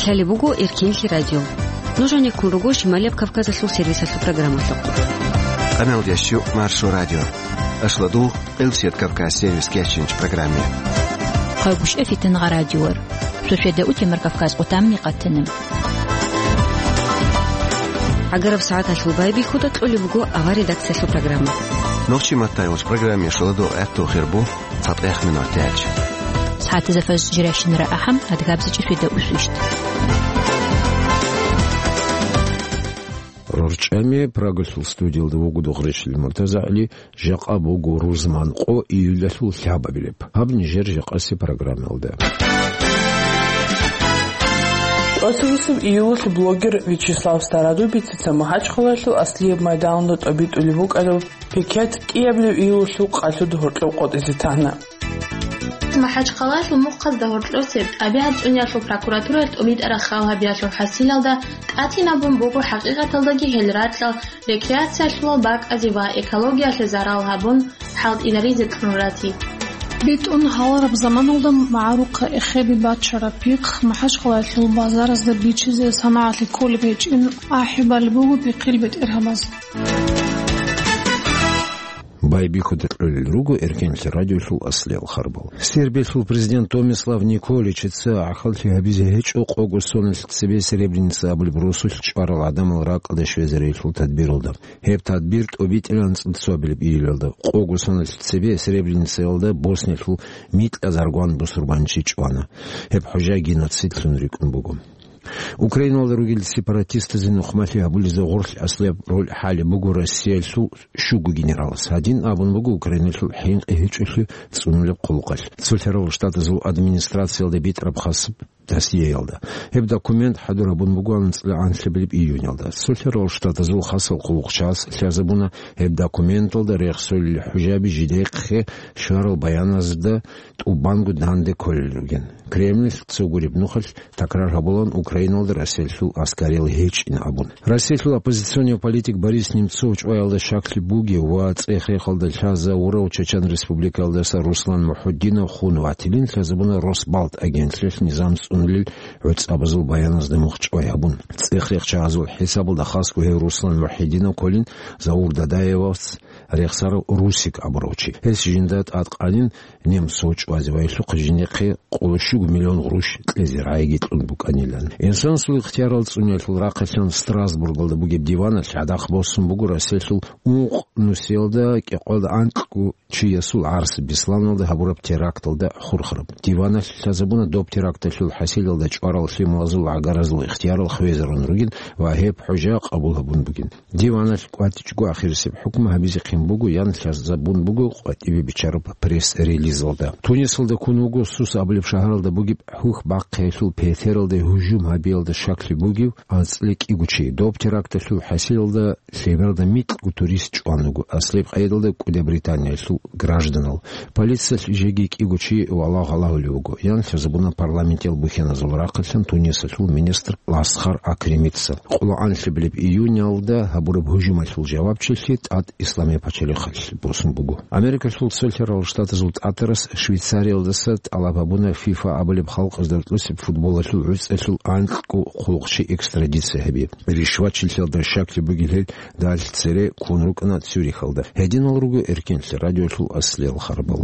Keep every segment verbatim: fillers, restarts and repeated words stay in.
Лъалеб буго Эркенлъи радио. Нуж гьанеккун руго Шималияб Кавказалъул сервисалъул программалъухъ. Къамел ящу Маршо радио. Ашладу Элсет Кавказ сервис кечинч программе. Хъайгушев Фитнагъа радиор. Суседа утемар Кавказ къутамни къатана. ГӀагараб сагӀаталъул байбихьуда кьолеб буго авар редакциялъул программа. Нохчи маттайгъуч программе шуладу гӀехту хирбу цатӀех минут тяч. СагӀатазда фаз жиращинара ахӀам адгабзичӀи суседа усвищт. РорчӀами Прагалъул студиялда вугодухъ речӀчӀил МуртазагӀли. Жакъа буго рузман къо июлалъул лъабабилеб. Гьаб нижер жакъаси программалда. ТӀоцебесеб июлалъ блогер Вячеслав Стародубицица Махачхъалаялъул аслияб майданалда тӀобитӀулеб букӀараб пикет кӀиябилеб июлалъул къалъуда гьоркьоб къотӀизе тана. Махачхъалаялъул мухъазда гьоркьосеб тӀабигӀат цӀуниялъул прокуратураялъ тӀобитӀараб хал гьабиялъул хӀасилалда тӀатинабун буго хӀакъикъаталдаги гьел ракьал рекреациялъулал бакӀазе ва экологиялъе зарал гьабун, хӀалтӀиларизе кьун ратизе. БитӀун гьалараб заманалда магӀарухъа эхеби бачараб пихъ Махачхъалаялъул базаразда бичизе санагӀалъи кколеб гьечӀин ахӀи балеб буго пихъил бетӀергьабаз. Байбихьуда кьолел руго Эркенлъи радиолъул аслиял харбал. Сербиялъул президент Томислав Николичица гӀахьаллъи гьабизе гьечӀо къого соналъ цебе Сребреница абулеб росулъ чӀварал гӀадамал ракӀалде щвезариялъул тадбиралда. Гьеб тадбир тӀобитӀилан цӀуд цо абилеб июлалда, къого соналъ цебе Сребреницаялда Босниялъул микьазаргван бусурбанчи чӀвана. Гьеб хӀужа геноцидлъун рикӀкӀун буго. Украиналда ругел сепаратистазе нухмалъи гьабулезда гъорлъ аслияб роль хӀалеб буго Россиялъул щуго генералас. Гьадин абун буго Украиналъул хӀинкъи гьечӀолъи цӀунулеб хъулухъалъ. Цолъарал Штатазул администрациялда битӀараб хасаб досьеялда. Гьеб документ хӀадур гьабун буго анцӀила анлъабилеб июнялда. Цолъарал Штатазул хасал хъулухъчияс лъазабуна гьеб документалда рехсолел хӀужаби жидехъе щварал баяназда тӀубанго данде кколел ругин. Кремль цо гуреб нухалъ такрар гьабулан Украиналда Россиялъул аскариял гьечӀин абун. Россиялъул оппозиционный политик Борис Немцов чӀваялда щаклъи бугев ва цӀех-рехалда лъазавурав Чечен Республикаялдаса Руслан МухӀуддинов хун ватилин лъазабуна Росбалт агентлъиялъ низам цӀунулел гӀуцӀабазул баяназда мухъ чӀвай гьабун. ЦӀех-рех чагӀазул хӀисабалда хасго гьев Руслан МухӀуддинов кколин Заур Дадаевас рехсарав Русик абурав чи. Гьес жинда тӀадкъанин Немцов чӀвазе ва гьелъухъ жинехъе къоло щуго миллион гъурущ кьезе рагӀиги кьун букӀанилан. Инсанасул ихтиярал цӀуниялъул рахъалъан Страсбургалда бугеб диваналъ гӀадахъ босун буго Россиялъул ункъ нусиялда кӀикъоялда анкьго чиясул гӀарс Бесланалда гьабураб теракталда хурхараб. Диваналъ лъазабуна доб теракталъул хӀасилалда чӀварал лъималазул гӀагаразул ихтиярал хвезарун ругин ва гьеб хӀужа къабул гьабун бугин. Диваналъ кӀватӀичӀого ахирисеб хӀукму гьабизехъин буго, ян лъазабун буго къватӀибе биччараб пресс-релизалда. Тунисалда ккун вуго Сус абулеб шагьаралда бугеб хӀухь бахъиялъул петералде гьужум гьабиялда щаклъи бугев анцӀила кӀиго чи. Доб теракталъул хӀасилалда лъебералда микьго турист чӀван вуго, аслияб къайдалда кӀудияб Британиялъул гражданал. Полициялъ жеги кӀиго чи валагь-гьалагьулев вуго, ян лъазабуна парламентиял бухьаназул рахъалъан Тунисалъул министр Ласхар Акремица. Къоло анлъабилеб июнялда гьабураб гьужумалъул жавабчилъи тӀад Исламияб пачалихъалъ босун буго. Америкалъул Цолъарал Штатазул тӀатарас Швейцариялдаса тӀалаб гьабуна ФИФА абулеб халкъазда рокьусеб футболалъул гӀуцӀалъул анкьго хъулухъчи экстрадиция гьабизе. Ришвачилъиялда щаклъи бугел гьел далъ цере ккун рукӀана Цюрихалда. Гьединал руго Эркенлъи радиолъул аслиял харбал.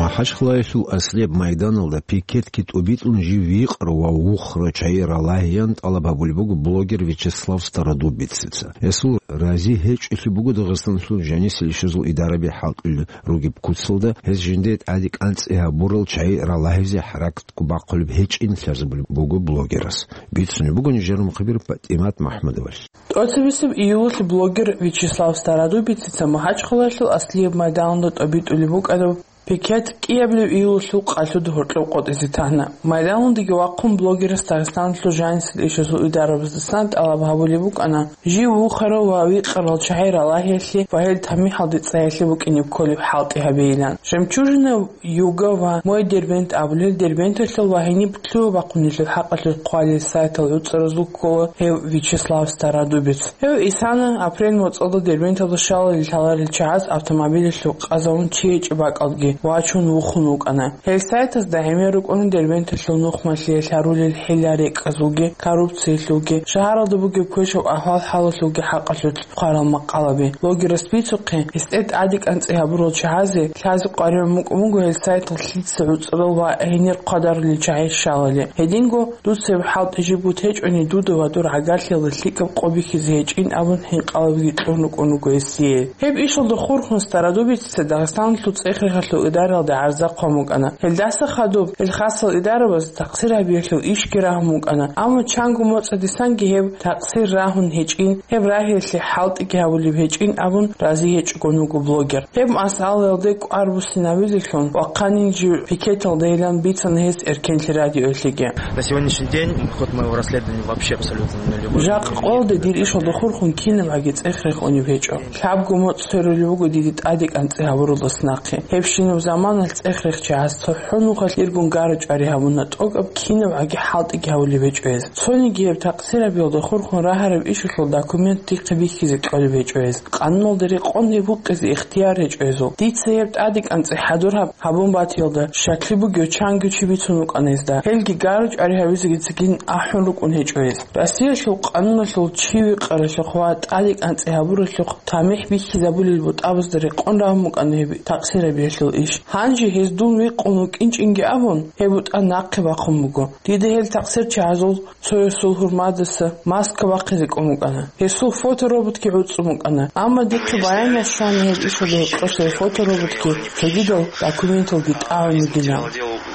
Махачкъалаялъул аслияб майданалда пикетги тӀубитӀун жив вихъра ва вухра чагӀи ралагьеян тӀалаб гьабулеб буго блогер Вячеслав Стародубицица. Гьесул рази гьечӀолъи буго Дагъистаналъул жанисел ишазул идараби хӀалтӀулел ругеб куцалда, гьес жинде тӀаде кӀанцӀи гьабурал чагӀи ралагьизе хӀаракатго бахъулеб гьечӀин лъазабулеб буго блогерас. Бицунеб буго нижер мухъбир ПатӀимат МахӀмудовалъ. ТӀоцебесеб июлалъ блогер Вячеслав Стародубицица Махачкъалаялъул аслияб майданалда тӀобитӀулеб букӀараб пикет кӀиябилеб июлалъул къалъуда гьоркьоб къотӀизе тана. Майданалдаги вахъун блогерас Дагъистаналъул жанисел ишазул идарабаздасан тӀалаб гьабулеб букӀана, жив вухарал ва вихъарал чагӀи ралагьиялъе ва гьел тамихӀалде цӀайялъе букӀине кколеб хӀалтӀи гьабейилан. Жемчужина Юга ва Мой Дербент абулел Дербенталъул ва гьениб лъугьа-бахъунелъул хӀакъалъулъ хъвалел сайтал гӀуцӀаразул ккола гьев Вячеслав Стародубец. Гьев исана апрель моцӀалда Дербенталда щалалде лъаларел чагӀаз автомобилялъул къазавун чи гьечӀеб бакӀалдеги. вачун вухун вукӀана. Гьел сайтазда гӀемер рукӀуна Дербенталъул нухмалъиялъ гьарулел хӀила-рекӀкӀазулги, коррупциялъулги, шагьаралда бугеб квешаб ахӀвал-хӀалалъулги хӀакъалъулъ хъварал макъалаби. Блогерас бицухъе, гьесде тӀаде кӀанцӀи гьабурал чагӀазе лъазе къваригӀун букӀун буго гьел сайтал лъица гӀуцӀрал ва гьенир хъвадарулел чагӀи щалали. Гьединго, дуца гьеб хӀалтӀи жиб бутӀичӀони, дуда ва дур гӀагарлъиялда лъикӀаб къо бихьизе гьечӀин абун хӀинкъалабиги кьун рукӀун руго гьесие. Гьеб ишалда хурхун Стародубицица Дагъистаналъул цӀех-рехалъул идаралде гӀарза хъван букӀана. Гьелдаса хадуб гьел хасал идарабаз такъсир гьабиялъул ишги рагьун букӀана, амма чанго моцӀадисанги гьеб такъсир рагьун гьечӀин, гьеб рагьиялъе хӀалтӀиги гьабулеб гьечӀин абун рази гьечӀогун вуго блогер. Гьеб масъалаялде кӀвар буссинабизелъун ва хъанин жив пикеталдайилан бицана гьес Эркенлъи радиоялъеги. На сегодняшний день ход моего расследования вообще абсолютно нулевой. Жакъа къоялда дир ишалда хурхун кинабгӀаги цӀех-рех унеб гьечӀо. Лъабго моцӀ сверулеб буго диде тӀаде кӀанцӀи гьабуралдаса нахъе. Гьебщинаб заманалъ цӀех-рех чагӀаз цохӀо нухалъ иргун гара-чӀвари гьабуна, тӀокӀаб кинабгӀаги хӀалтӀиги гьабулеб гьечӀо гьез. Цониги гьеб такъсир гьабиялда хурхун рагьараб ишалъул документ дихъе бихьизе кьолеб гьечӀо гьез. Къануналда рекъон гьеб гьукъизе ихтияр гьечӀо гьезул. Дица гьеб тӀаде кӀанцӀи хӀадур гьаб-, гьабун батиялда щаклъи бугев чанго чи бицун вукӀана гьезда. Гьелги гара-чӀвари гьавизегицин ахӀун рукӀун гьечӀо гьез. Россиялъул къануналъул чи викъаралъухъ ва тӀаде кӀанцӀи гьабуралъухъ тамихӀ бихьизабулел бутӀабазда рекъон рагьун букӀана гьеб такъсир гьабиялъул иш. Гьанже гьез дун викъун вукӀинчӀинги абун, гьеб бутӀа нахъе бахъун буго. Дида гьел такъсир чагӀазул цоясул гьурмадаса маска бахъизе кӀун букӀана. Гьесул фотороботги гӀуцӀун букӀана. Амма дихъе баянал щвана гьеб ишалда гьоркьоса фотороботги цогидал документалги тӀагӀун бугилан.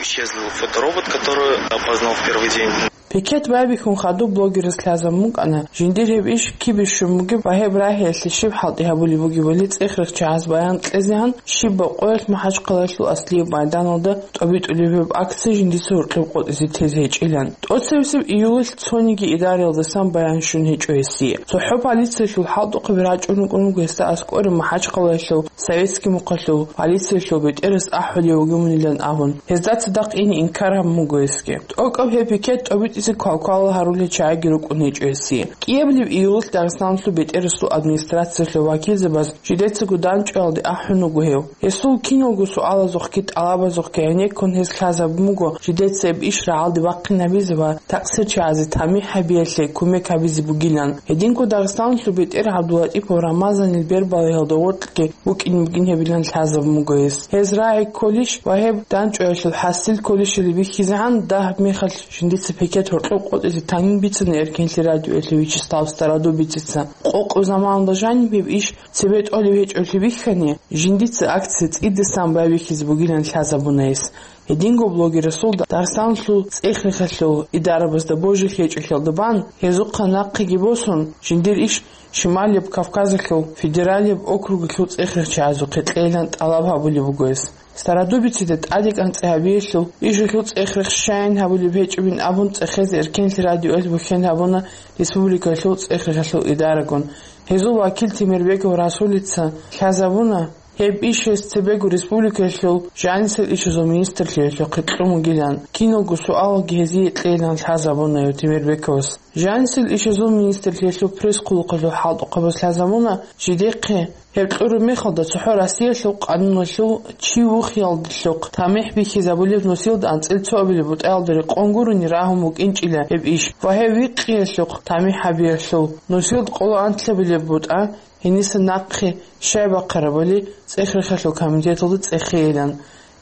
Исчезла фоторобот, который опознал в первый день. Пикет байбихьун хадуб блогерас лъазабун букӀана, жиндир гьеб иш кибищун бугеб ва гьеб рагьиялъе щиб хӀалтӀи гьабулеб бугебали цӀех-рех чагӀаз баян кьезегӀан, щибаб къоялъ МахӀачхъалаялъул Аслияб майданалда тӀобитӀулеб гьеб акция жиндица гьоркьоб къотӀизе тезе гьечӀилан. ТӀоцебесеб июлалъ цониги идараялдасан баян щун гьечӀо гьесие. ЦохӀо полициялъул хӀалтӀухъаби рачӀун рукӀун руго гьесда аскӀоре МахӀачхъалаялъул Советский мухъалъул полициялъул бетӀерас ахӀулев вугевунилан абун, гьезда цадахъ ине инкар гьабун буго гьесги. ТӀокӀаб гьеб пикет тӀобитӀизе квалквалал гьарулел чагӀиги рукӀун гьечӀо гьесие. КӀиабилеб июлалъ Дагъистаналъул бетӀерасул администрациялъул вакилзабаз жидецаго дандчӀваялде ахӀун вуго гьев. Гьесул киналго суалазухъги тӀалабазухъги гӀенеккун гьез лъазабун буго жидеца гьеб иш рагӀалде бахъинабизе ва такъсир чагӀазе тамихӀ гьабиялъе кумек гьабизе бугилан. Гьединго Дагъистаналъул бетӀер ГӀабдулатӀипов Рамазанил бербалаялда гъоркьги букӀин бугин гьебилан лъазабун буго гьес. Гьез рагӀи кколищ ва гьеб дандчӀваялъул хӀасил кколищали бихьизегӀан дагьаб мехалъ жиндица пикет гьоркьоб къотӀизе танин бицана Эркенлъи радиоялъе Вячеслав Стародубицица. Къокъаб заманалда жаниб гьеб иш цебе тӀолеб гьечӀолъи бихьани, жиндица акция цӀидасан байбихьизе бугилан лъазабуна гьес. Гьединго блогерасул Дагъистаналъул цӀех-рехалъул идарабазда божи гьечӀолъиялда бан, гьезухъа нахъеги босун, жиндир иш Шималияб Кавказалъул федералияб округалъул цӀех-рех чагӀазухъе кьейилан тӀалаб гьабулеб буго гьес. Стародубицида тӀаде кӀанцӀи гьабиялъул ишалъул цӀех-рех щайин гьабулеб гьечӀебин абун цӀехезе Эркенлъи радиоялъ бухьен гьабуна республикалъул цӀех-рехалъул идарагун. Гьезул вакил Темирбеков Расулица лъазабуна, гьеб иш гьес цебего республикаялъул жанисел ишазул министрлъиялъухъе кьун вугилан, киналго суалалги гьезие кьейилан лъазабуна гьев Темирбековас. Жанисел ишазул министрлъиялъул пресс-хъулухъалъул хӀалтӀухъабаз лъазабуна, жидехъе гьеб кьураб мехалда цохӀо Россиялъул къануналъул чи вухиялдалъухъ тамихӀ бихьизабулеб нусилда анцӀил цоабилеб бутӀаялда рекъон гурони рагьун букӀинчӀила гьеб иш ва гьеб викъиялъухъ тамихӀ гьабиялъул нусилда къоло анлъабилеб бутӀа гьениса нахъе щай бахъарабали цӀех-рехалъул комитеталда цӀехейилан.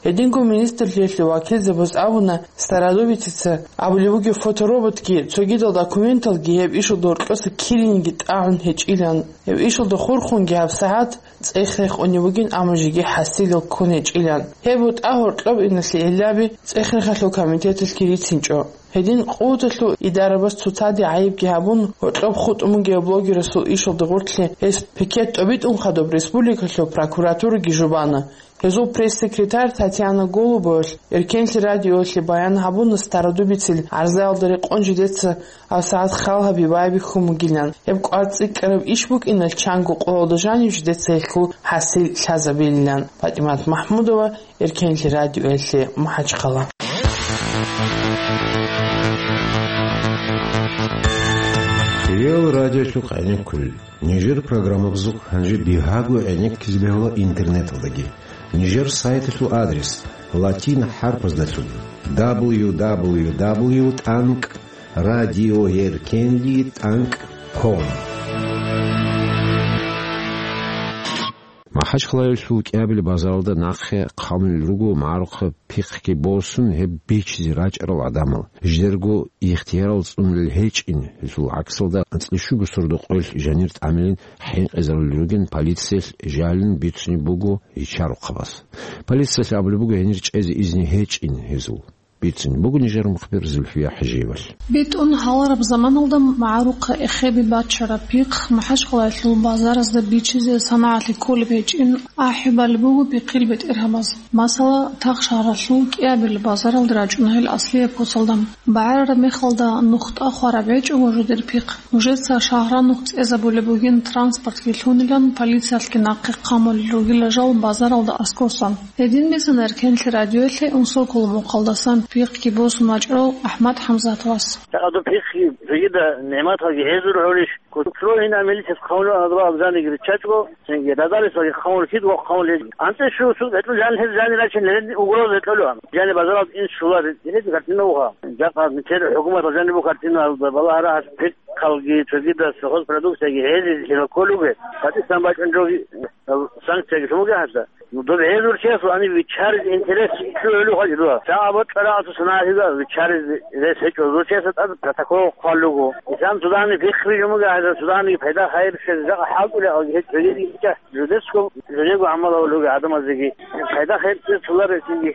Гьединго министрлъиялъе вакилзабаз абуна, Стародубицица абулеб бугеб фотороботги цогидал документалги гьеб ишалда гьоркьоса кириниги тӀагӀун гьечӀилан. Гьеб ишалда хурхунги гьабсагӀат цӀех-рех унеб бугин, амма жеги хӀасилал ккун гьечӀилан. Гьеб бутӀа гьоркьоб иналъе гьелаби цӀех-рехалъул комитеталъги рицинчӀо. Гьедин къуваталъул идарабаз цоцаде гӀайибги гьабун, гьоркьоб хутӀун бугеб блогерасул ишалда гъорлъе гьес пикет тӀобитӀун хадуб республикалъул прокуратураги жубана. Гьезул пресс-секретарь Татьяна Голубовалъ Эркенлъи радиоялъе баян гьабуна, Стародубицил гӀарзаялда рекъон жидеца гьабсагӀат хал гьаби байбихьун бугилан. Гьеб кӀвар цӀикӀкӀараб иш букӀиналъ чанго къоялда жанив жидеца гьелъул хӀасил лъазабилилан. ПатӀимат МахӀмудова, Эркенлъи радиоялъе, МахӀачхъала. Реал радиолъухъ гӀенеккулел. Нижер программабазухъ гьанже бигьаго гӀенеккизе бегьула интернеталдаги. Нижер сайталъул адрес латин хӀарпаздалъун: дабл ю дабл ю дабл ю тӀанкӀ радиоеркенли тӀанкӀ ком. МахӀачхъалаялъул КӀиабил базаралда нахъе хъамулел руго магӀарухъа пихъги босун гьеб бичизе рачӀарал гӀадамал. Жидерго ихтиярал цӀунулел гьечӀин, гьелъул гӀаксалда анцӀила щуго сордо къоялъ жанир тӀамилин хӀинкъизарулел ругин полициялъ жалин бицунеб буго ричарухъабаз. Полициялъ абулеб буго гьенир чӀезе изни гьечӀин гьезул. Бицунеб буго нижер мухбир Зульфия ХӀажиевалъ. БитӀун гьалараб заманалда магӀарухъа эхеби бачараб пихъ МахӀачхъалаялъул базаразда бичизе санагӀалъи кколеб гьечӀин ахӀи балеб буго пихъил бетӀергьабаз. Масала, Тахшагьаралъул КӀиабил базаралда рачӀуна гьел аслияб куцалда. БагӀарараб мехалда нухда хвараб гьечӀого жидер пихъ. Нужеца шагьранухъ цӀезабулеб бугин транспортги лъунилан, полициялъги нахъе хъамулел ругила жал базаралда аскосан. Гьедин бицана Эркенлъи радиоялъе Унсоколо мухъалдасан пихъги босун вачӀарав АхӀмад ХӀамзатовас. Жакъа доб пихъги жегида нигӀматалги гьезул гьорищ? Кутроинал милицияс хъавлу адва абзаниги риччачӀго, цинги радалисалги хъавлу кид ва хъавлу гьез. АнцӀе щу суд гьечӀо жан гьез жани рачен гьерен угроза гьечӀолеан. Жани базаралда ин щулар, гьез гьартина уха. Жакъа митер хӀукуматал жанибу гьартина балагьара гьас пикалги, цогидас, хозпродукцияги гьезизе лъила кколуге. Пакистан бачӀун жоги санкцияги лъумуге гьасда. Ну, доб гьезул чиясул гьаниб виччаризе интерес лъугӀулев хъалидуа. ЧагӀа бокьарагӀасул санагӀалъида виччаризе рес гьечӀо. Зул чиясда тӀад протокол хъвалуго. Ислам цудани пихъ бижун буго, гьезда цудани пайда хайир щвезе жакъа хӀалтӀулев гьечӀо. Жидесго, жидего гӀамал гьавулуги гӀадамазеги пайда хайир цӀир цуларесиги.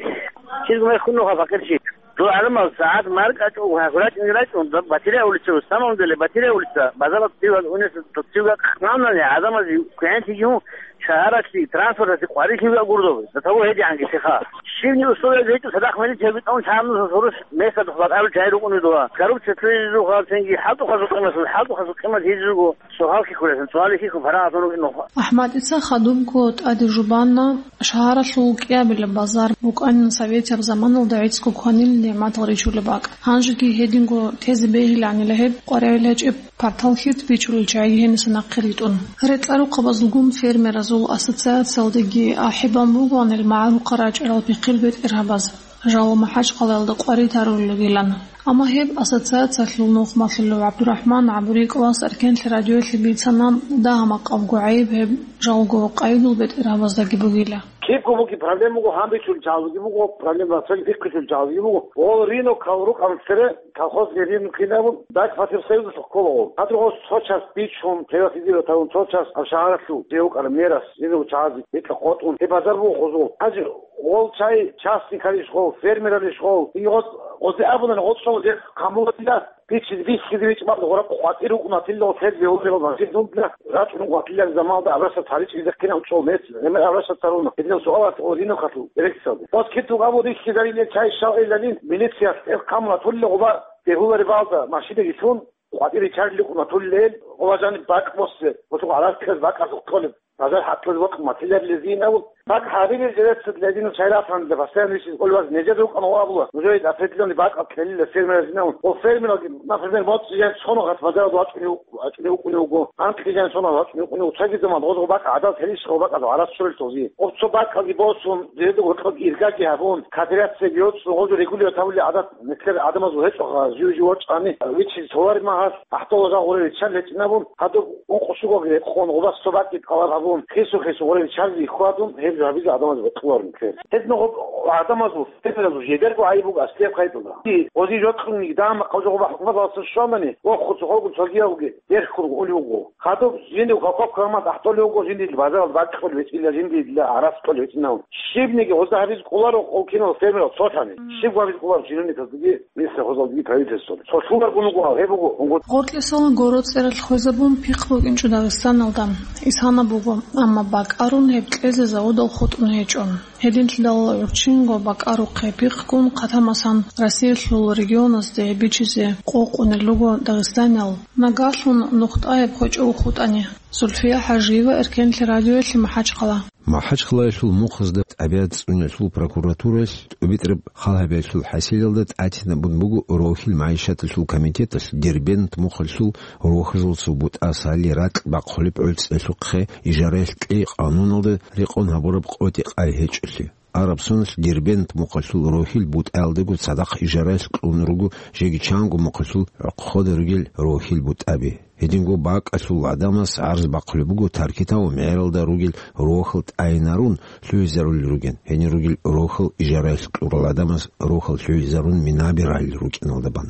Чиргу мехун нуха факъирчи. Дол гӀадамал сагӀат маркӀачӀого гьагурачӀунги рачӀун, батирия улица, в самом деле, батирия улица, базарат дивал унес, дивга хъванани гӀадамазе квегӀентиги гьун, шагьаралъе, транспорталъе къварилъи виа гурдов, до того гьедигӀанги лъиха. Щибни условия гьечӀо, цадахъ милиция битӀун чамнуса сурус месад хватӀару чай рукӀуни дуа. Коррупция лъугьизухъа, цинги хӀалтӀухъазул къимат, хӀалтӀухъазул къимат гьезиго, сугьал хихьулесин, сугьали хихьун парагӀатун рукӀин нуха. АхӀмадица хадубго тӀаде жубанна, шагьаралъул кӀиабилеб базар букӀанин советияб заманалда гӀицӀго кванил нигӀматал ричулеб бакӀ. Гьанжеги гьединго тезе бегьиланила гьеб къваригӀел гьечӀеб партал хьит бичулел чагӀи гьениса нахъе ритӀун. Рекьарухъабазулгун фермеразул ассоциациялдеги ахӀи бан бугоанил магӀарухъа рачӀарал пихъил бетӀергьабаз, жал МахӀачхъалаялда къварид гьарулел ругилан. Амма гьеб ассоциациялъул нухмалъулев ГӀабдурахӀман ГӀабурикӀовас Эркенлъи радиоялъе бицана, дагьа-макъабго гӀайиб гьеб жалго къайдул бетӀергьабаздаги бугила. Кибго буги проблема буго, гьанбичулел чагӀазулги буго проблема, цоги пихъичулел чагӀазулги буго. Гъол рынокал рукӀан цере, колхозги рынок кинабун, дагь фатир союзалъухъ ккола гъол. Гьадруго цо час бичун, приватизировать гьавун, цо час гьаб шагьаралъул, жев вукӀараб мерас, жинав чагӀазе гьикъа къотӀун, гьеб базар буго гъозул. Гьанже гъол чай частникалищ гъол, фермералищ гъол, и гъоз, гъозе абуна гъоцӀ гъозе хъамулатила, Бичиз бихьизе бичӀ бакӀ гъураб къватӀир рукӀунатилла, церги гьурригъал мажгит нубна рачӀун къватӀилан замалда абрасат гьаричӀ ризахъинав чӀол мес, гӀемер абрасат царуна. Гьединав суал гьатӀ гъоринав хатул эрекцалде. Ос киту гъабу рихьизариле чай щал эзалин, милициялъ тӀер хъамула тулли гъуба бегьулари балда машинаги лъун, къватӀире чарли къунатуллел, гъуба жаниб бакӀ боссе, гъуту гӀарар кказ бакӀазухъ кколеб. Базар хӀатӀлъуз вокьун матиларилезин абун, бакӀ гьабилел жирецад лединал чай ратанила, постоянно висиз къулбаз нижер рукӀана ва абула, нужее определённый бакӀал ккелила фермеразин абун. Ва фермералги, например, моцӀ жай цоно гъат базаралда вачӀунев, вачӀунев вукӀуневго, анкьги жай цоно вачӀунев вукӀунев, цоги заман гъозго бакӀ гӀадал телищ гъо бакӀал гьарас чурел този. Ва цо бакӀалги босун, жиреда гъоркьоб иргаги гьабун, кооперацияги йоцӀун, гъозо регулировать гьавули гӀадат, нилъер гӀадамазул гьечӀо ха, жив-жив вачӀани, вичиз товар магьар, ахӀдола жал гъуре риччан гьечӀин абун, гьадуб Ункъо-щуго рекъон, гъубаз цо бакӀи тӀалаб гьабун, хису-хису гъорин чарги хьвадун, гьеб жо гьабизе гӀадамаз бокьуларун ккер. Гьедин гъоб гӀадамазул, фермеразул жидерго гӀайиб буго аслияб къайдалда. Гъози жокьун дагьа-макъал жо гъоба хӀукуматалдасан щванани, вохуцухъ гъогун цогиявги дерхкурго унев вуго. Хадуб жиндив хокоб ккаман тӀахӀдолев вуго, жиндил базаралда бакӀ кьолев вецӀила, жиндила гӀарац кьолев вецӀинав. Щибниги гъозда гьабизе кӀоларо гъов кинал фермерал цолъани. Щиб гьабизе кӀоларо жинуникалдаги. Мисра гъозалги правительствоги. Цо лъугьаргун вуго, гьеб буго, гьунгут. Гъоркьесалан гороцӀералъ хвезабун пихъ букӀинчӀо Дагъистаналда. Исана буго, амма бакӀарун гьеб кьезе заводал хутӀун гьечӀо. Гьединлъидал гӀурччинго бакӀарухъе пихъгун хъатамасан Россиялъул регионазде бичизе къокъунел руго Дагъистаниял, нагагьлъун нухтӀаяб хвечӀого хутӀани. Зульфия ХӀажиева, Эркенлъи радиоялъе, МахӀачхъала. МахӀачхъалаялъул мухъазда тӀабигӀат цӀуниялъул прокуратуралъ тӀубитӀараб халгьабиялъул хӀасилалда тӀатинабун буго рохьил магӀишаталъул комитеталъ Дербент мухъалъул рохьазул цо бутӀа Сали ракь бахъулеб гӀуцӀиялъухъе ижараялъ кьей къануналда рекъон гьабураб къотӀи-къай гьечӀолъи. Араб соналъ Дербент мухъалъул рохьил бутӀаялдаго цадахъ ижараялъ кьун руго жеги чанго мухъалъул гӀохъода ругел рохьил бутӀаби. Гьединго бакӀалъул гӀадамас гӀарз бахъулеб буго Таркитал мегӀералда ругел рохьал тӀайинарун лъугьизарулел ругин, гьенир ругел рохьал ижараялъ кьурал гӀадамас рохьал лъугьизарун минаби ралел рукӀиналда бан.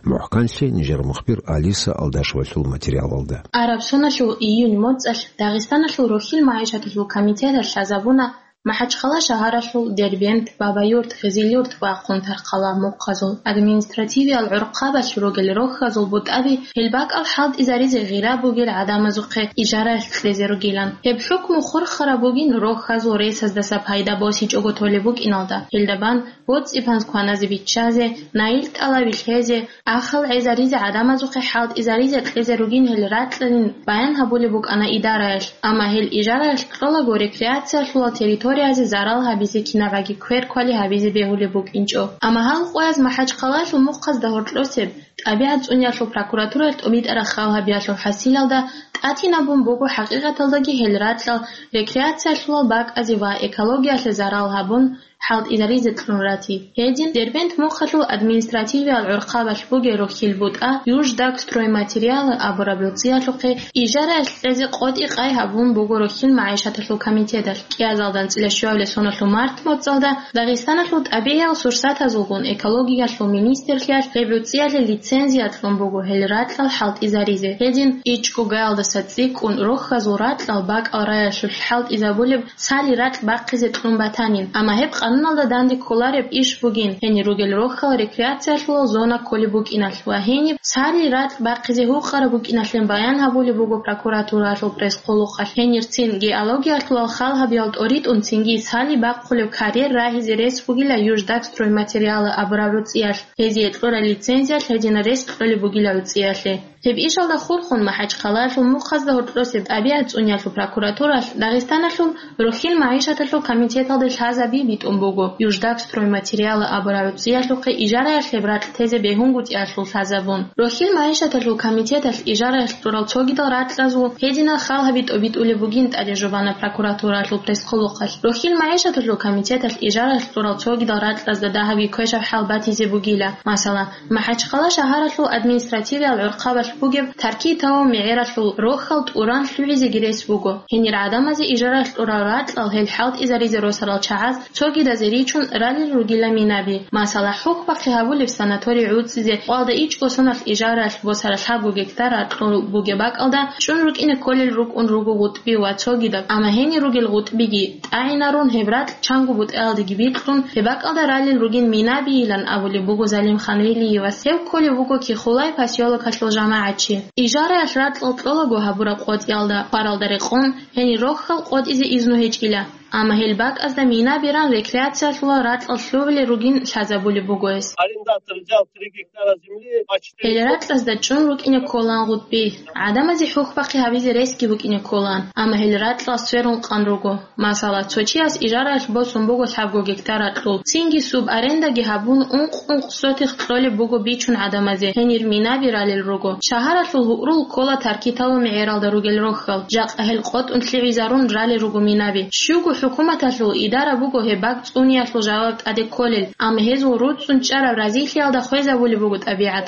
МухӀканлъи нижер мухбир Алиса Алдашевалъул материалалда. Араб соналъул июнь моцӀалъ Дагъистаналъул рохьил магӀишаталъул комитеталъ лъазабуна МахӀачхъала шагьаралъул Дербент, Бабаюрт, Гъизилюрт ва Хъунтархъала мухъазул административиял гӀурхъабалъ ругел рохьазул бутӀаби гьел бакӀал хӀалтӀизаризе гъира бугел гӀадамазухъе ижараялъ кьезе ругилан. Гьеб хӀукму хурхараб бугин рохьазул ресаздаса пайда босичӀого толеб букӀиналда, гьелда бан боцӀи-панз кваназе биччазе, наил-тӀалаби лъезе, ахал гӀезаризе гӀадамазухъе хӀалтӀизаризе кьезе ругин гьел ракьалин баян гьабулеб букӀана идараялъ, амма гьел ижараялъ кьолаго рекреациялъулал территориязе зарал гьабизе кинабаги кверквали гьабизе бегьулеб букӀинчӀо. Амма гьал къояз МахӀачхъалаялъул мухъазда гьоркьосеб, тӀабигӀат цӀуниялъул прокуратуралъ тӀубитӀараб халгьабиялъул хӀасилалда тӀатинабун буго хӀакъикъаталдаги гьел ракьал рекреациялъулал бакӀазе ва экологиялъе зарал гьабун, хӀалтӀизаризе кьун рати. Гьедин, Дербент мухъалъул административиял гӀурхъабалъ бугел рохьил бутӀа «Юждагстройматериалы» абураб гӀуцӀиялъухъе ижараялъ кьезе къотӀи-къай гьабун буго рохьил магӀишаталъул комитеталъ. КӀиазалдан цӀилищуабилеб соналъул март моцӀалда Дагъистаналъул тӀабигӀиял сурсатазулгун экологиялъул министрлъиялъ гьеб гӀуцӀиялъе лицензия кьун буго гьел ракьал хӀалтӀизаризе. Гьедин, ичӀго гаялдаса цӀикӀкӀун рохьазул ракьал бакӀал раялъулъ хӀалтӀизабулеб Сали ракь бахъизе кьун батанин, амма гьеб къануналда данде кколареб иш бугин, гьенир ругел рохьал рекреациялъулал зона кколеб букӀиналъ ва гьениб Сали ракь бахъизе гьукъараб букӀиналъе баян гьабулеб буго прокуратуралъул пресс-хъулухъалъ. Гьенир цин геологиялъулал халгьабиял тӀоритӀун цинги Сали бахъулеб карьер рагьизе рес бугила «Юждагстройматериалы» абураб гӀуцӀиялъ, гьезие кьурал лицензиялъ гьединал рес кьолеб бугила гӀуцӀиялъе. Гьеб ишалда хурхун МахӀачхъалаялъул мухъазда гьоркьосеб тӀабигӀат цӀуниялъул прокуратуралъ Дагъистаналъул рохьил магӀишаталъул комитеталде лъазаби битӀун буго, «Юждагстройматериалы» абураб гӀуцӀиялъухъе ижараялъ гьеб ракь тезе бегьунгутӀиялъул лъазабун. Рохьил магӀишаталъул комитеталъ ижараялъ кьурал цогидал ракьазул гьединал халгьаби тӀобитӀулеб бугин тӀаде жубана прокуратуралъул пресс-хъулухъалъ. Рохьил магӀишаталъул комитеталъ ижараялъ кьурал цогидал ракьазда дагьабги квешаб хӀал батизе бугила. Масала, МахӀачхъала шагьаралъул административиял гӀурхъабалъ бугеб Таркитал мегӀералъул рохьал тӀуран лъугӀизеги рес буго. Гьенир гӀадамазе ижараялъ кьурал ракьал гьел хӀалтӀизаризе росарал чагӀаз цогидазе ричун ралел ругила минаби. Масала, хӀухьбахъи гьабулеб санаторий гӀуцӀизе къвалда ичӀго соналъ ижараялъ босараб лъабго гектар ракьул бугеб бакӀалда чӀун рукӀине кколел рукӀун руго гъутӀби ва цогидаб, амма гьенир ругел гъутӀбиги тӀагӀинарун, гьеб ракь чанго бутӀаялдеги бикьун, гьеб бакӀалда ралел ругин минабийилан абулеб буго Залимхан Велиевас. Гьев кколев вуго Кихулай посёлокалъул жамагӀатчи. Ижараялъ ракьал кьолаго гьабураб къотӀиялда хваралда рекъон, гьенир рохьал къотӀизе изну гьечӀила, амма гьел бакӀазда минабиран рекреациялъулал ракьал лъугӀулел ругин лъазабулеб буго гьес. Арендатор взял три гектара земли, почти. Гьел ракьазда чӀун рукӀине кколаан гъутӀби. ГӀадамазе хӀухьбахъи гьабизе ресги букӀине кколаан, амма гьел ракьал сверун къан руго. Масала, цо чияс ижараялъ босун буго лъабго гектар ракьул, цинги субарендаги гьабун, ункъ-ункъ сотих кьолеб буго бичун гӀадамазе, гьенир минаби ралел руго. Шагьаралъул гьугӀрул ккола Таркитал мегӀералда ругел рохьал, жакъа гьел къотӀун лъугӀизарун ралел руго минаби. Щуго хӀукуматалъул идара буго гьеб бакӀ цӀуниялъул жаваб тӀаде кколел, амма гьезул руцӀцӀун чӀараб разилъиялда хвезабулеб буго тӀабигӀат.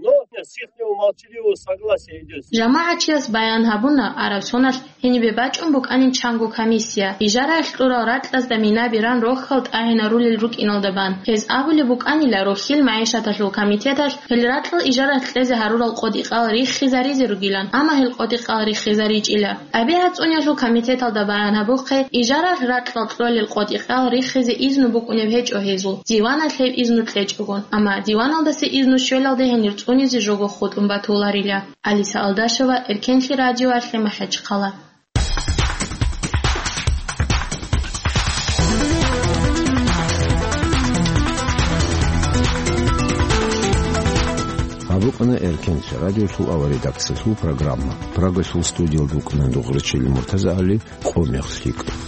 Но с ихнего молчаливого согласия идёт. ЖамагӀатчияс баян гьабуна, араб соналъ гьенибе бачӀун букӀанин чанго комиссия, ижараялъ кьурал ракьазда минабиран рохьал тӀагӀинарулел рукӀиналда бан. Гьез абулеб букӀанила, рохьил магӀишаталъул комитеталъ гьел ракьал ижараялъ кьезе гьарурал къотӀи-къал риххизаризе ругилан, амма гьел къотӀи-къал риххизаричӀила. ТӀабигӀат цӀуниялъул комитеталда баян гьабухъе, ижараялъ ракьал кьолел къотӀи-къал риххизе изну букӀунеб гьечӀо гьезул, диваналъ гьеб изну кьечӀогон, амма диваналдаса изну щвелалде гьенир цӀунизе жого хутӀун батуларила. Алиса Алдашева, Эркенлъи радиоялъе, МахӀачхъала. Букъана Эркенлъи радиолъул авария редакциялъул программа. Прагалъул студиялда вукӀана дугӀрачил МуртазагӀали, къо мехалъ лъикӀ.